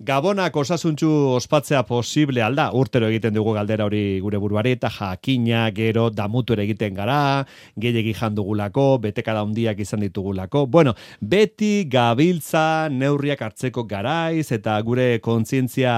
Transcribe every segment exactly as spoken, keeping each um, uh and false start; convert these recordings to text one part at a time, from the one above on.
Gabonak osasuntxu ospatzea posible alda, urtero egiten dugu galdera hori gure buruari, eta jakina, gero, damutu ere egiten gara, gehiegi jandugulako, betekada handiak izan ditugulako. Bueno, beti gabiltza neurriak hartzeko garaiz, eta gure kontzientzia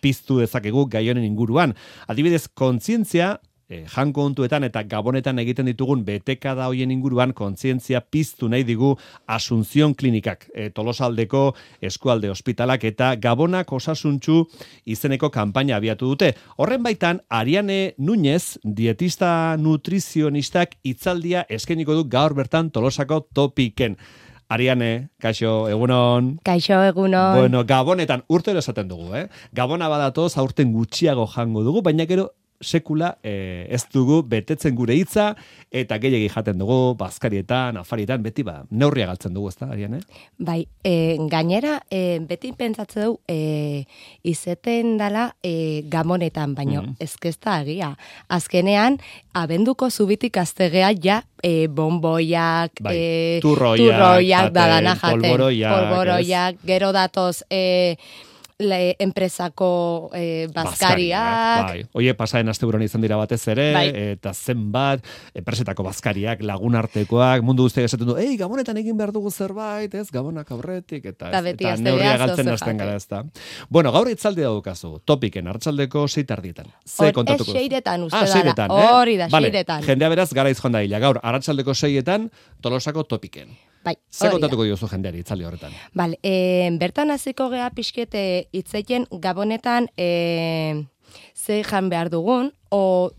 piztu dezakegu gai honen inguruan. Adibidez, kontzientzia, E, janko ontuetan eta gabonetan egiten ditugun betekada hoien inguruan kontzientzia piztu nahi digu Asunción Klinikak, e, Tolosaldeko eskualde ospitalak eta Gabonak osasuntxu izeneko kanpaina abiatu dute. Horren baitan, Ariane Núñez, dietista nutrizionistak hitzaldia eskainiko du gaur bertan Tolosako Topiken. Ariane, kaixo, egunon. Kaixo, egunon. Bueno, Gabonetan urtero esaten dugu, eh? Gabona badatoz aurten gutxiago jango dugu, baina gero sekula eh, ez dugu betetzen gure hitza eta gehiegi jaten dugu bazkarietan, afarietan, beti ba, neurria galtzen dugu, ezta, Ariane? Bai, e, gainera, e, beti pentsatzen dugu e, izeten dala e, gabonetan, baino mm. ezkezta agia. Azkenean, abenduko zubitik aztegea ja e, bomboiak, bai. e, turroiak, turroiak dadana jaten, polboroiak, polboroiak gero datoz e, Le, enpresako eh, bazkariak. Bai. Oie, pasaren asteburuan izan dira batez ere, bai. Eta zenbat, enpresetako bazkariak, lagunartekoak, mundu guztiak esaten du, ei, Gabonetan egin behar dugu zerbait, ez, Gabonak aurretik, eta, eta, ez, eta neurria galtzen hasten gara, ez da. Bueno, gaur itzaldi daukazu, Topiken, arratsaldeko sei tardietan. Ze kontatuko? Ez seiretan uste ah, seiretan, dara, hori eh? da, vale. seiretan. Jendea beraz, gara izan da hila, gaur, arratsaldeko seietan, Tolosako Topiken. Bai, Zer kontatuko diozu jendeari itzaldi horretan? Bale, e, bertan hasiko gea pixkete hitzeien Gabonetan e, ze jan behar dugun, o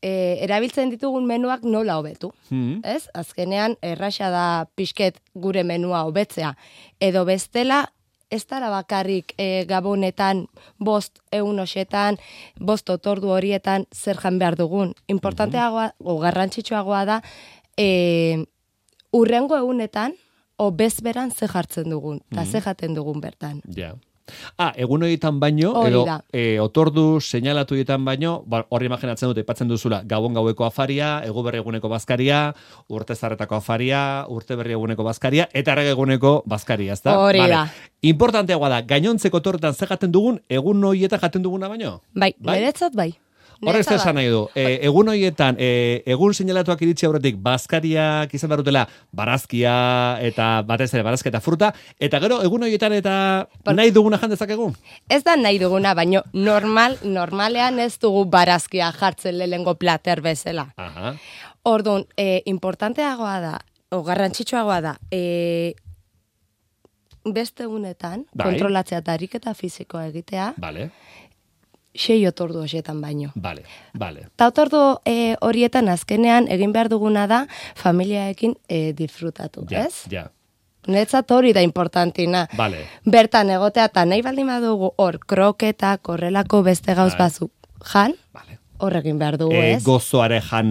e, erabiltzen ditugun menuak nola hobetu. Hmm. Ez? Azkenean, erraxa da pixket gure menua hobetzea. Edo bestela, ez dara bakarrik e, Gabonetan, bost egun hoxetan, bost otordu horietan zer jan behar dugun. Importanteagoa, o garrantzitsuagoa da, e, urrengo egunetan, o bezberan ze jartzen dugun, eta mm. ze jaten dugun bertan. Ja. Ah, egun horietan baino, edo e, otordu seinalatu horietan baino, ba, horri imaginatzen dute, ipatzen duzula, Gabon gaueko afaria, egu berri eguneko bazkaria, urte zarretako afaria, urte berri eguneko bazkaria, eta errege eguneko bazkaria, ezta? Hori da. Importanteagoa da, gainontzeko otorretan ze jaten dugun, egun horietan jaten duguna baino? Bai, bai? Niretzat bai. Horrez esan nahi du, e, egun horietan, e, egun seinalatuak iritsi aurretik, bazkariak izan behar dutela, barazkia, eta batez ere, barazkia eta fruta, eta gero, egun horietan eta Por... nahi duguna jandezakegu? Ez da nahi duguna, baino normal, normalean ez dugu barazkia jartzen lehengo plater bezala. Aha. Orduan, e, importanteagoa da, o garrantzitsuagoa da, e, beste egunetan, bai. Kontrolatzea eta ariketa fizikoa egitea, Vale. sei otordu horietan baino. Vale, vale. Ta otordu e, horietan azkenean egin behar duguna da familiaekin e, disfrutatu, ja, ez? Ja. Netzat hori da importantina. Vale. Bertan egotea eta nahi baldin badugu hor kroketa, korrelako beste gauz vale. bazu jan, vale. Hor egin behar dugu, e, ez? Gozoare jan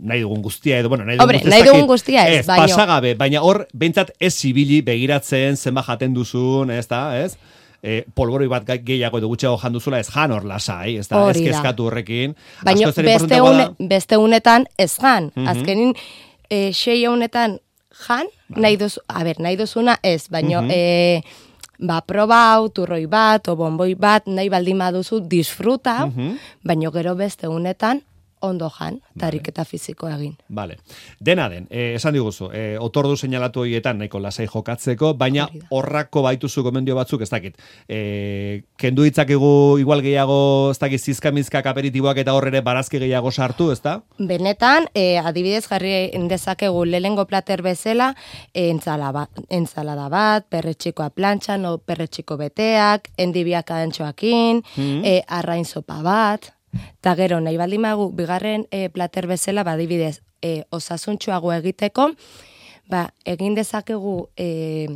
nahi dugun guztia, edo, bueno, nahi dugun Hombre, guztia. nahi dugun guztia ez, ez baino. Pasagabe, baina hor, behintzat ez zibili begiratzen, zenba jaten duzun, ez da, ez? E, polboroi bat gehiago edo gutxeago janduzula ez jan hor lasai, ez da, ez kezkatu horrekin. Baina beste, une, beste unetan ez jan, mm-hmm. azkenin e, sei unetan jan, vale. nahi, duzu, a ber, nahi duzuna ez, baina mm-hmm. e, ba, probau, turroi bat, o bomboi bat, nahi baldin baduzu disfruta, mm-hmm. baina gero beste unetan ondo jan, tarik eta fiziko egin. Vale. Dena den, eh, esan diguzu, eh, otordu seinalatu horietan nahiko lasai jokatzeko, baina horrako baituzu gomendio batzuk, ez dakit. Eh, kendu ditzakegu igual gehiago, ez dakit, zizkamizkak aperitiboak eta horrere barazki gehiago sartu, ez da? Benetan, eh, adibidez jarri dezakegu lehengo plater bezala, eh, entzala ba, entzalada bat, perretxikoa plantxan, o perretxiko beteak, endibiak adentxoakin, mm-hmm. eh, arrain sopa bat, eta gero, nahi baldin magu, bigarren e, plater bezala, badibidez, e, osasuntxuago egiteko, ba, egin dezakegu e,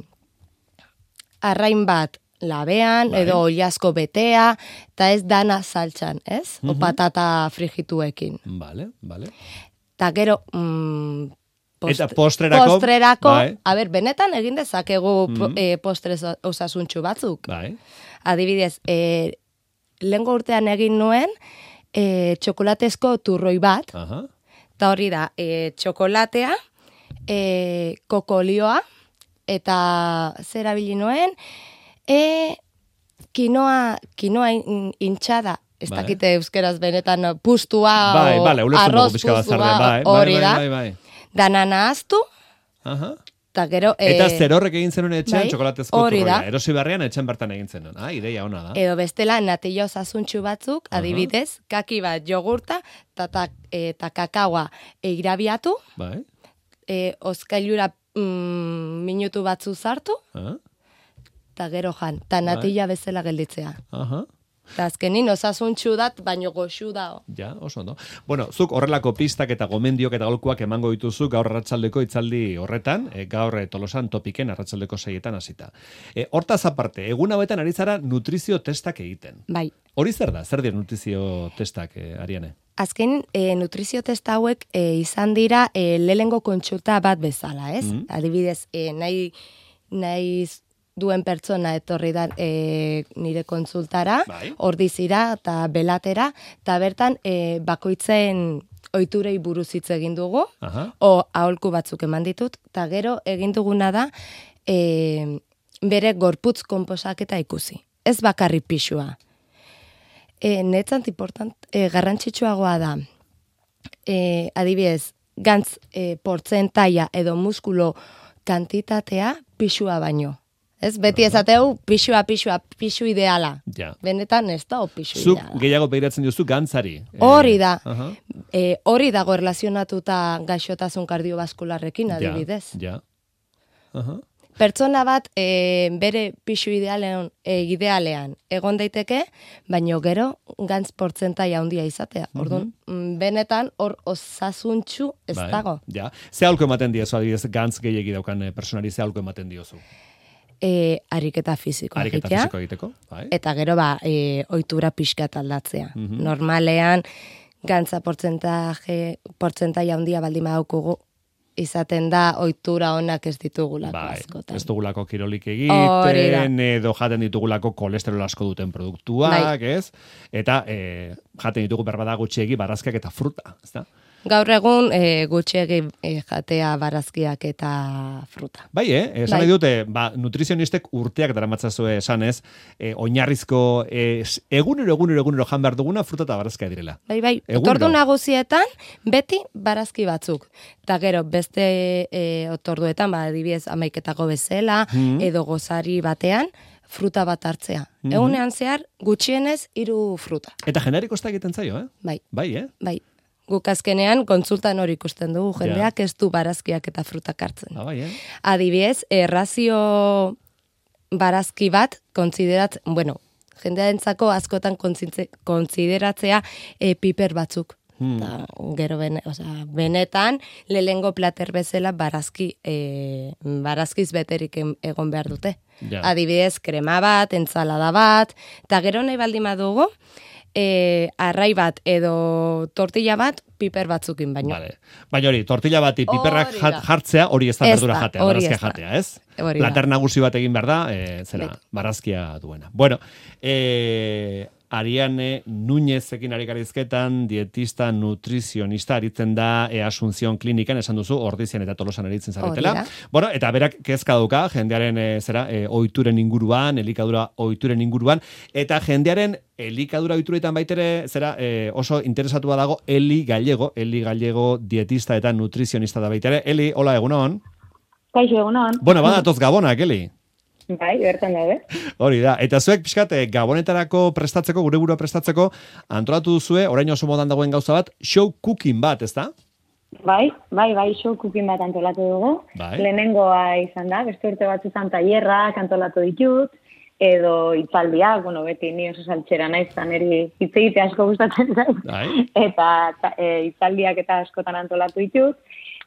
arrain bat labean, bai. Edo oliasko betea, eta ez dana saltxan, ez? Mm-hmm. O patata frigituekin. Vale, vale. Eta gero, mm, post, eta postrerako, postrerako bai. A ber, benetan egin dezakegu mm-hmm. e, postre osasuntxu batzuk. Bai. Adibidez, e, lehengo urtean egin nuen, e, txokolatezko turroi bat, eta hori da, e, txokolatea, e, kokolioa, eta zer abili nuen, e, kinoa, kinoa in, intxada, ez Bai. dakite euskeraz benetan pustua, Bai, o bale, ulertzen arroz dugu pixka bat pustua, zarden, bai, bai, hori bai, da. bai, bai. Dana nahaztu, Aha. eta gero... Eta eh, zer horrek egin zenuen etxean, bai, txokolatezko hori da. turroia. Erosi berrian etxean bertan egin zenuen. Ah, ideia ona da. Edo bestela natilla osasuntxu batzuk, Aha. adibidez, kaki bat jogurta, eta eta kakaoa irabiatu, Bai. e, oskailura mm, minutu batzu zartu, Ah, eta gero jan, eta natilla bezala gelditzea. aha. Eta azkenin osasuntxu dat, baino goxu da. Ja, oso, no? Bueno, zuk horrelako pistak eta gomendiok eta golkuak emango dituzu gaur arratsaldeko itzaldi horretan, e, gaur e, Tolosan topiken arratsaldeko seietan hasita. E, hortaz aparte, egun hauetan ari zara nutrizio testak egiten. Bai. Hori zer da? Zer dira nutrizio testak, e, Ariane? Azken, e, nutrizio testa hauek e, izan dira e, lehengo kontsulta bat bezala, ez? Mm. Adibidez, e, nahi, nahi duen pertsona etorri da e, nire kontsultara, Bai. ordizira eta belatera, eta bertan e, bakoitzen ohiturei buruz hitz egin dugu, Aha. o aholku batzuk eman ditut, eta gero egin duguna da e, bere gorputz konposaketa ikusi. Ez bakarri pixua. E, netzant important, e, garrantzitsuagoa da, e, adibidez, gantz e, portzentaia edo muskulo kantitatea pixua baino. Ez, beti esateu pixua, pixua, pixu ideala. Ja. Benetan ez da, o pixu Zuk ideala. gehiago begiratzen duzu gantzari. E, Hori da. Aha. E, hori dago erlazionatuta gaixotasun kardiobaskularrekin, adibidez. Ja, ja. Aha. Pertsona bat e, bere pixu idealean, e, idealean egon daiteke, baino gero gantz portzentaia handia izatea. Orduan, mm, benetan hor osasuntxu ez Bai, dago. Ja. Ze aholku ematen diozu, adibidez, gantz gehiegi daukan eh, personari ze aholku ematen diozu? E, ariketa fisikoa Ariketa egitea. fisiko egiteko, bai. Eta gero ba, e, ohitura pixkat aldatzea. Mhm. Normalean, gantza portzentaje, portzentaia handia baldin badaukagu, izaten da ohitura onak ez ditugulako Bai, askotan. ez dugulako kirolik Hori da. egiten, edo jaten ditugulako kolesterol asko duten produktuak, Bai. ez? Eta e, jaten ditugu berbada gutxiegi barazkiak eta fruta, ez da? Gaur egun e, gutxiegi e, jatea barazkiak eta fruta. Bai, eh? Esan Bai. nahi dute, ba, nutrizionistek urteak daramatzazue esanez, e, oinarrizko, e, egunero, egunero, egunero jan behar duguna fruta eta barazkia direla. Bai, bai, Egunero. otordu nagusietan beti barazki batzuk. Eta gero, beste e, otorduetan, ba, adibidez, amaiketako bezala, Mhm. edo gozari batean, fruta bat hartzea. Mhm. Egunean zehar, gutxienez, hiru fruta. Eta jendeari kosta egiten zaio, eh? Bai, Bai, eh? bai. Guk azkenean kontsultan hori ikusten dugu, jendeak ez du barazkiak eta frutak hartzen. Ah, bai, eh? Adibidez, errazio barazki bat, konsiderat, bueno, jendearentzako askotan kontzintze- konsideratzea e, piper batzuk. Hmm. Ta, gero bene, osea, benetan, lehengo plater bezala barazki, e, barazkiz beterik em- egon behar dute. Ja. Adibidez, krema bat, entzalada bat, eta gero nahi baldin badugu, e, arrai bat edo tortilla bat piper batzukin baino. Vale. Baina hori, tortilla bati piperrak Hori jat- da. jartzea, hori ez da Ez berdura da, jatea, hori barazkia ez da. jatea, ez? Hori da. Plater nagusi bat egin behar da, e, zera, Bai. barazkia duena. Bueno, e, Ariane Núñezekin ari garizketan, dietista, nutrizionista, aritzen da e, Asunción klinikan, esan duzu, Ordizian eta Tolosan aritzen zaretela. Hori da. Bueno, eta berak kezka dauka, jendearen e, zera, e, ohituren inguruan, elikadura ohituren inguruan, eta jendearen elikadura ohituretan baitere, zera, e, oso interesatua dago Eli Gallego, Eli Gallego dietista eta nutrizionista da baitere. Eli, hola, egunon. Kaixo egunon. Bueno, badatoz Gabonak, Eli. Bai, bertan daude. Hori da, eta zuek pixkat, eh, Gabonetarako prestatzeko, gure burua prestatzeko, antolatu duzue, orain oso modan dagoen gauza bat, show cooking bat, ez da? Bai, bai, bai, show cooking bat antolatu dugu. Bai. Lehenengoa izan da, beste urte batzutan tailerrak antolatu ditut, edo hitzaldiak, bueno, beti ni oso saltxera naiz, eta niri hitz egite asko gustatzen zait. Bai. Eta ta, e, hitzaldiak eta askotan antolatu ditut.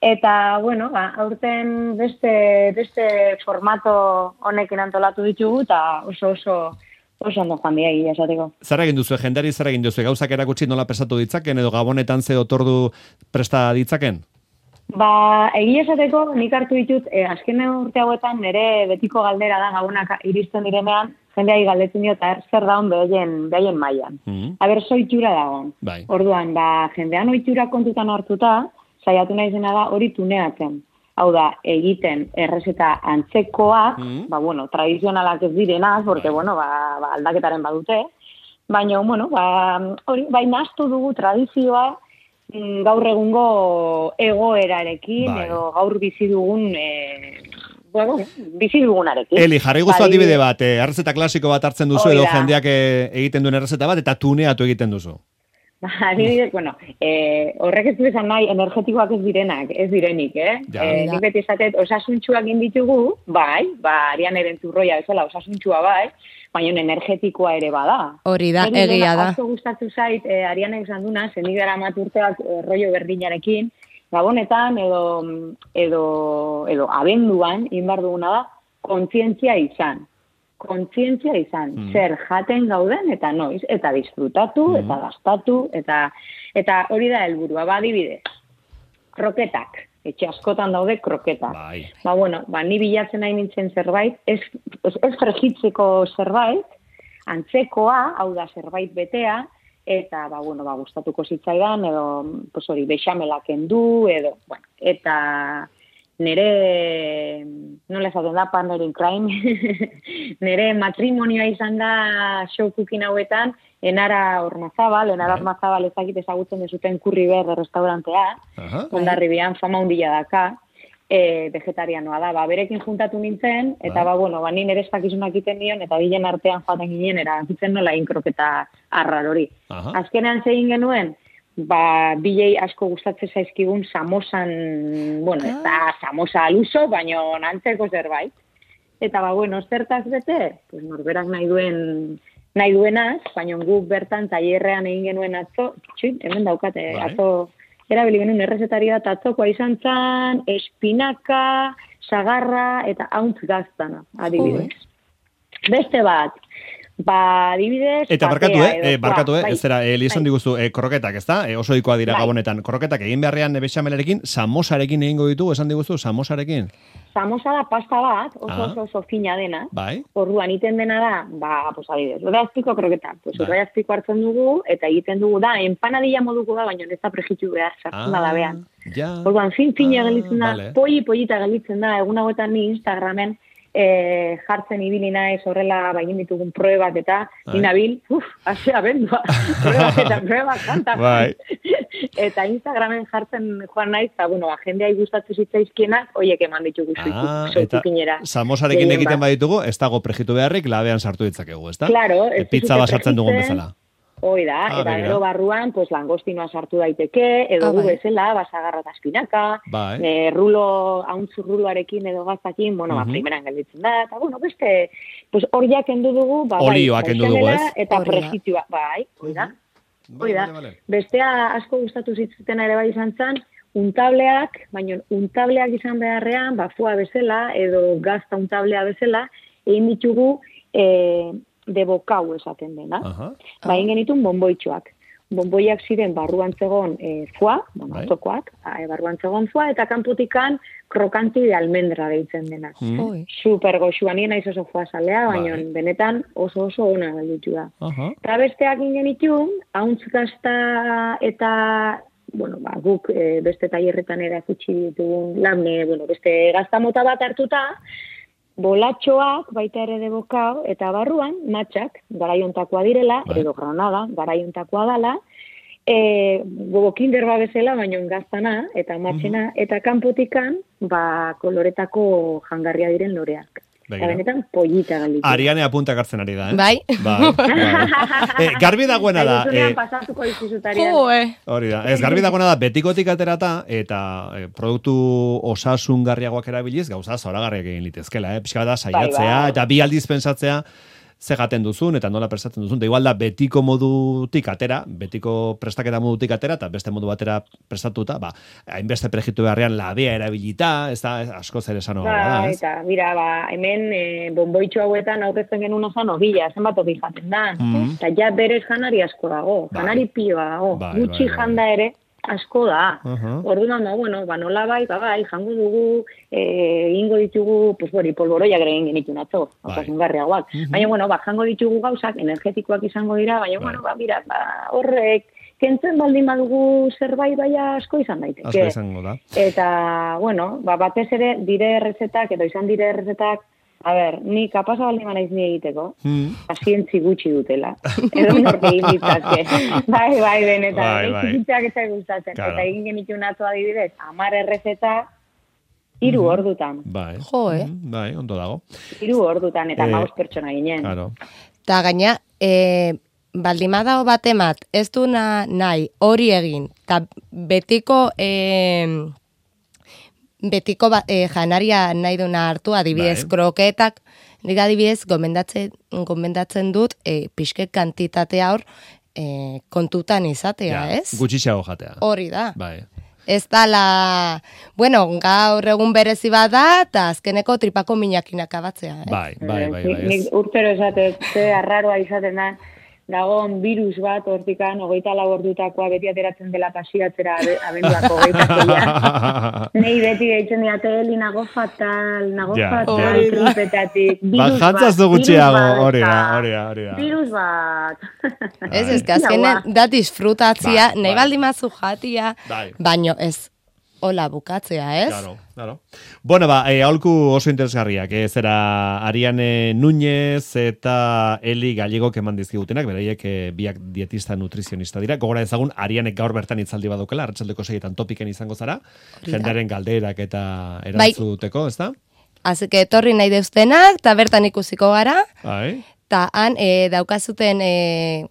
Eta, bueno, ba, aurten beste, beste formato honekin antolatu ditugu, eta oso oso oso ondo joan dira egia esateko. Zer egin duzu, jendari zer egin duzu, gauzak erakutsi nola prestatu ditzaken, edo Gabonetan ze otordu presta ditzaken? Ba, egia esateko nik hartu ditut, eh, azken urte hauetan nire betiko galdera da Gabonak iristen direnean, jendeai galdetzen dio, eta zer daun behaien, behaien mailan. Mm. Aber, zoitura dagoen. Bai. Orduan, ba, jendean ohitura kontutan hartuta, saiatu naizena da hori tuneatzen. hau da, egiten errezeta antzekoa, Mm. ba, bueno, tradizionalak ez direnaz, porque, bueno, ba, ba, aldaketaren badute, baina, bueno, ba, hori, bai nahaztu dugu tradizioa, mm, gaur egungo egoerarekin, Bai. edo gaur bizi dugun, e, bueno, bizi dugunarekin. Eli, jarri guztu Ba, adibide bat, eh, errezeta klasiko bat hartzen duzu, Hori edo da. jendeak eh, egiten duen errezeta bat, eta tuneatu egiten duzu. Ba, adibidez, bueno, eh, horrek ez du esan nahi, energetikoak ez direnak, ez direnik, eh? Ja. Eh, nik beti esatet, osasuntxuak inditugu, bai, ba, arian erentzurroia bezala, osasuntxua bai, baina energetikoa ere bada. Hori da, Niri egia dena da. Asko gustatu zait, eh, arianek esan duna, zendik dara maturteak eh, rollo berdinarekin, gabonetan edo, edo, edo abenduan, inbar duguna da, kontzientzia izan. Kontzientzia izan, Mm. zer jaten gauden eta noiz, eta disfrutatu, eta gastatu, eta eta hori da helburua, ba, adibidez, kroketak, etxe askotan daude kroketak. Bai. Ba, bueno, ba, ni bilatzen nahi nintzen zerbait, ez, ez, ez fregitzeko zerbait, antzekoa, hau da zerbait betea, eta, ba, bueno, ba, gustatuko zitzaidan, edo, pues hori, bexamelak kendu, edo, bueno, eta nere, nola esaten da, partner in crime, nere matrimonioa izan da show cooking hauetan, Enara Ormazabal, Enara Bai. Ormazabal ezakit ezagutzen dezuten Kurriber restaurantea, Aha. Hondarribian fama hundila daka, e, vegetarianoa da, ba, berekin juntatu nintzen, eta Bai. ba, bueno, ba, ni nire espakizunak egiten nion, eta bilen artean joaten ginen, erakitzen nola inkroketa arrar hori. Aha. Azkenean zegin genuen, ba, bilei asko gustatzen zaizkigun samosan, bueno, ez da samosa aluso, baino antzeko zerbait. Eta ba, bueno, zertaz bete, pues norberak nahi duen, nahi duenaz, baino guk bertan tailerrean egin genuen atzo, txuit, hemen daukate, Bai. atzo, erabili genuen errezetari bat atzokoa izan zan, espinaka, sagarra eta hauntz gaztana, adibidez. Beste bat, ba, adibidez, Eta patea barkatu, eh? edo, eh barkatu, eh? bai, Ez zera, eh, lizan bai. diguzu, eh, kroketak, ez da? Eh, oso ohikoa dira Bai. gabonetan. Kroketak egin beharrean eh, bexamelarekin, samosarekin egingo ditugu, esan diguzu, samosarekin. Samosa da pasta bat, oso Ah. oso, oso fina dena. Bai. Orduan egiten dena da, ba, pues adibidez, urreazpiko kroketa. Pues Bai. urreazpiko hartzen dugu, eta egiten dugu da, empanadilla moduko da, baina ez da prejitu behar, sartzen da da behan. Ja. Orduan, fin-fina Ah, gelditzen da, vale. poi-poita gelditzen da, egun hauetan ni Instagramen e, jartzen ibili naiz horrela bain ditugun pruebak eta Bai. inabil, uf, hasea bendua, pruebak eta pruebak kanta. Bai. Eta Instagramen jartzen joan naiz, eta bueno, jendeai gustatu zitzaizkienak, hoiek eman ditugu Ah, zuiku, eta zuikinera. samosarekin Gehien egiten bat. baditugu, ez dago prejitu beharrik, labean sartu ditzakegu, ez da? Claro, ez E, pizza duzute bat sartzen dugun prejitzen. bezala. Hoi da, Ah, eta begira. gero barruan, pues, langostinoa sartu daiteke, edo Ah, gu bai. bezala, basagarra eta espinaka, Bai. e, rulo, hauntzu ruloarekin edo gaztakin, bueno, Mhm. ba, primeran gelditzen da, eta, bueno, beste, pues, horiak kendu dugu, ba, bai, Olioa kendu dugu, baixamela ez? Eta Hori da. prejitua, bai, hoi da. Hoi da. Vale, vale. Bestea asko gustatu zitzuten ere bai izan zen, untableak, baina untableak izan beharrean, ba, fua bezala, edo gazta untablea bezala, egin ditugu e, de bokau esaten dena. Aha. Ba, egin genitun bonboitxoak. Bonboiak ziren barruan zegon e, foa, bueno, Bai. atzokoak, e, barruan zegon foa, eta kanpotikan krokanti de almendra deitzen dena. Mm. Ui. Super goxua, nien naiz oso foa salea, baina Bai. benetan oso oso ona galditu da. Aha. Eta besteak egin genitun, hauntz gazta eta, bueno, ba, guk e, beste tailerretan erakutsi ditugun lamne, bueno, beste gazta mota bat hartuta, bolatxoak baita ere de bokao, eta barruan matxak, garaiontakoa direla, Bai. edo granada, garaiontakoa dala, e, gogo kinder ba bezala, baino gaztana, eta matxena, eta kanpotikan, ba, koloretako jangarria diren loreak. Eta Begira. benetan pollita galditu. Ariane apuntak hartzen ari da, eh? Bai. Bai, bai. Eh, garbi dagoena da. Zaizunean eh, pasatuko dizuzutarian. Jo, eh. Hori da. Ez, garbi dagoena da, betikotik aterata, eta eh, produktu osasungarriagoak erabiliz, gauza zoragarriak egin litezkela, eh? Pixka da, saiatzea, Bai, bai. eta bi aldiz pensatzea, ze jaten duzun, eta nola prestatzen duzun. Da igual da, betiko modutik atera, betiko prestaketa modutik atera, eta beste modu batera prestatuta, ba, hainbeste prejitu beharrean labea erabilita, ez da, ez, asko zer esanoa Ba, da, ez? eta, mira, ba, hemen e, bonboitxo hauetan aurrezten genuen ozan ovila, zenbat obi jaten da. Mhm. Eta ja berez janari asko dago, Bai. janari pioa dago, Bai, gutxi bai, bai. janda ere asko da. Aha. Orduan, ba, bueno, ba, nola bai, ba, bai, jango dugu, eh, egingo ditugu, pues, bori, polboroiak ere egin genitun atzo, Bai. osasungarriagoak. Mhm. Baina, bueno, ba, jango ditugu gauzak, energetikoak izango dira, baina, Bai. bueno, ba, mira, ba, horrek kentzen baldin badugu zerbait baia asko izan daiteke. Asko izango da. Eta, bueno, ba, batez ere dire errezetak, edo izan dire errezetak, a ber, ni kapasa baldin manaiz ni egiteko, Hmm. pazientzi gutxi dutela. Edo norte egin ditzake. Bai, bai, benetan. Bai, bai. Txikitzak ez zait gustatzen. Claro. Eta egin genituen atzo adibidez, hamar errezeta, hiru ordutan. Bai. Jo, eh? Mm, Bai, ondo dago. Hiru ordutan, eta Eh, maus pertsona ginen. Claro. Ta gaina, e, baldimada bat emat, ez du na, nahi hori egin, eta betiko, e, betiko ba, e, janaria nahi duna hartu, adibidez, Bai. kroketak, nik adibidez, gomendatzen, gomendatzen dut, e, pixket kantitatea hor, e, kontutan izatea, Ja, ez? Gutxixago jatea. Hori da. Bai. Ez dala, bueno, gaur egun berezi bat da, eta azkeneko tripako minakin akabatzea, eh? Bai, bai, bai, Nik- bai. Nik Ez. urtero esate, ze arraroa izaten da, dagoen virus bat hortikan, hogeita lau ordutakoa beti ateratzen dela pasiatzera abe- abenduako hogeita zeian. Nei beti deitzen diate, Eli, nago fatal, nago Ja, fatal, ja. tripetatik, Ba, virus jantzaz du bat, gutxiago, virus bat, hori da, eta hori da, hori da. Virus bat. Ez, ez, Bai. azkenen da disfrutatzia, Bai, nahi bai. baldin mazu jatia, Bai. baino ez, hola bukatzea, ez? Claro, claro. Bueno, ba, e, aholku oso interesgarriak, eh, zera Ariane Núñez eta Eli Gallegok eman dizkigutenak, beraiek eh, biak dietista nutrizionista dira. Gogora ezagun, Arianek gaur bertan itzaldi badukela, arratsaldeko seietan topiken izango zara, da. jendearen galderak eta Bai. erantzuteko, ezta? Así que etorri nahi deuztenak, eta bertan ikusiko gara, Bai, eta han e, daukazuten e,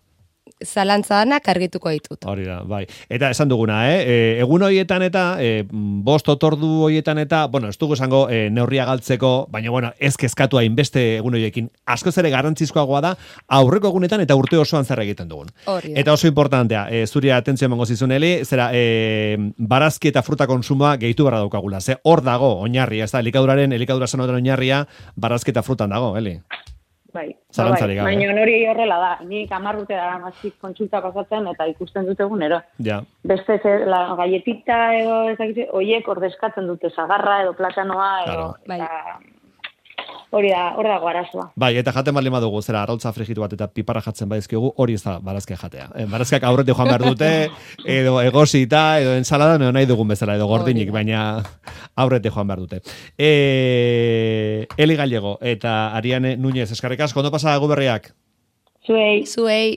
zalantzanak argituko ditut. hori da, bai. Eta esan duguna, eh? E, egun horietan eta, e, bost otordu horietan eta, bueno, ez dugu esango e, neurria galtzeko, baina, bueno, ez kezkatu hainbeste egun horiekin. Askoz ere garrantzizkoagoa da, aurreko egunetan eta urte osoan zer egiten dugun. Hori da. Eta oso importantea, e, zuri atentzio emango zizun, Eli, zera, e, barazki eta fruta konsumoa gehitu barra daukagula. Ze hor dago, oinarria, ez da, elikaduraren, elikadura sanoaren oinarria, barazki eta frutan dago, Eli. Bai, Zalantzarik bai. gabe. Baina hori horrela da. Nik hamar urte dara mazik kontsulta pasatzen eta ikusten dute egunero. Ja, Beste ze, la galletita edo ez dakit, oiek ordezkatzen dute zagarra edo platanoa edo Claro. eta hori da, hor dago arazoa. bai, eta jaten baldin badugu, zera, arrautza frigitu bat eta piparra jatzen badizkigu, hori ez da barazkia jatea. E, barazkiak aurretik joan behar dute, edo egosita, edo ensalada, edo nahi dugun bezala, edo gordinik, Hori da. baina aurretik joan behar dute. E, Eli Gallego eta Ariane Núñez, eskarrik asko, ondo pasa gu berriak? Zuei. Zuei,